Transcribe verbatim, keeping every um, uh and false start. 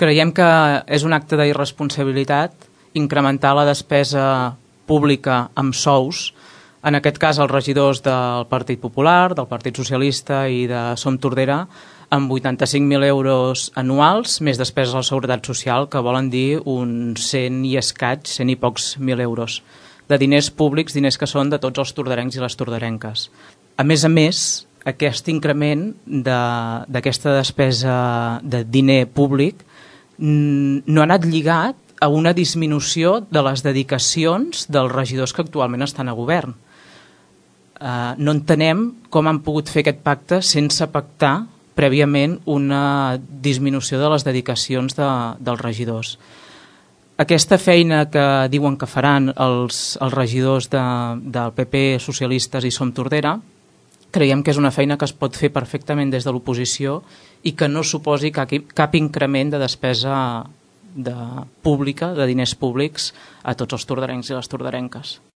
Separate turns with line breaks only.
Creiem que és un acte d'irresponsabilitat incrementar la despesa pública amb sous, en aquest cas els regidors del Partit Popular, del Partit Socialista i de Som Tordera, amb vuitanta-cinc mil euros anuals, més despeses a la Seguretat Social, que volen dir uns cent i escaig, cent i pocs mil euros, de diners públics, diners que són de tots els torderencs i les torderenques. A més a més, aquest increment d'aquesta de, despesa de diner públic no ha anat lligat a una disminució de les dedicacions dels regidors que actualment estan a govern. Uh, no entenem com han pogut fer aquest pacte sense pactar prèviament una disminució de les dedicacions de, dels regidors. Aquesta feina que diuen que faran els, els regidors de, del P P, socialistes i Som Tordera, creiem que és una feina que es pot fer perfectament des de l'oposició i que no suposi cap, cap increment de despesa de pública, de diners públics a tots els torderencs i les torderenques.